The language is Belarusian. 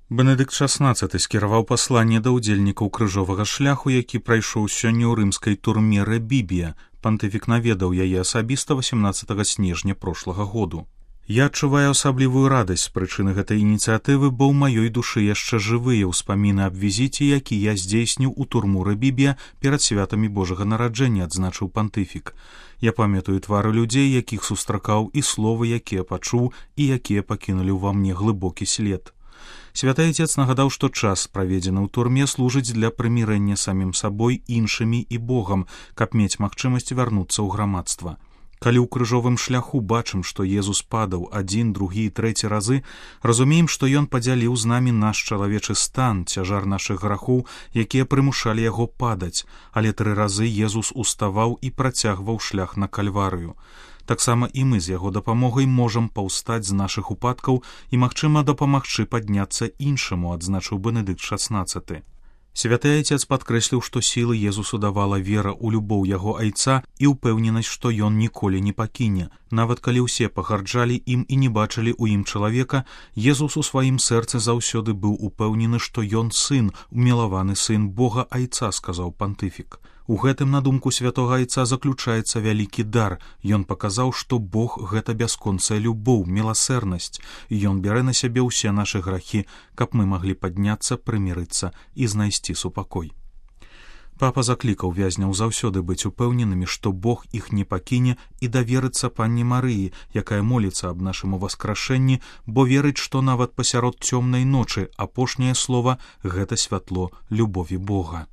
Бенедыкт XVI скіраваў пасланне да ўдзельнікаў крыжовага шляху, які прайшоў сёння ў рымскай турме Ребібія. Пантыфік наведаў яе асабіста 18 снежня прошлага году. Я адчуваю асаблівую радасць з прычыны гэтай ініцыятывы, бо ў маёй душы яшчэ жывыя ўспаміны аб візіце, які я здзейсніў у турму Ребібія перад святамі Божага нараджэння, адзначыў пантыфік. Я памятаю твары людзей, якіх сустракаў, і словы, якія пачуў і якія пакінулі ўва мне глыбокі след. Святы Отец нагадаў, што час, праведзены ў турме, служыць для прымірэння самім сабой, іншымі і Богам, каб мець магчымасць вярнуцца ў грамадства. Калі ў крыжовым шляху бачым, што Езус падаў 1, 2 і 3 разы, разумеем, што Ён падзяліў з намі наш чалавечы стан, цяжар нашых грахоў, якія прымушалі яго падаць, але 3 разы Езус уставаў і працягваў шлях на Кальварыю. Таксама і мы з яго дапамогай можам паўстаць з нашых упадкаў і, магчыма, дапамагчы падняцца іншаму, адзначыў Бенедыкт XVI. Святы Отец падкрэсліў, што сілы Езусу давала вера ў любоў яго айца і ўпэўненасць, што ён ніколі не пакіне. Нават калі ўсе пагарджалі ім і не бачылі ў ім чалавека, Езус у сваім сэрцы заўсёды быў упэўнены, што ён сын, умілаваны сын Бога айца, сказаў пантыфік. У гэтым, на думку святога айца, заключаецца вялікі дар. Ён паказаў, што Бог — гэта бясконцая любоў, міласэрнасць. Ён бярэ на сябе ўсе нашы грахі, каб мы маглі падняцца, прымірыцца і знайсці супакой. Папа заклікаў вязняў заўсёды быць упэўненымі, што Бог іх не пакіне, і даверыцца Панне Марыі, якая моліцца аб нашым уваскрашэнні, бо верыць, што нават пасярод цёмнай ночы апошняе слова — гэта святло любові Бога.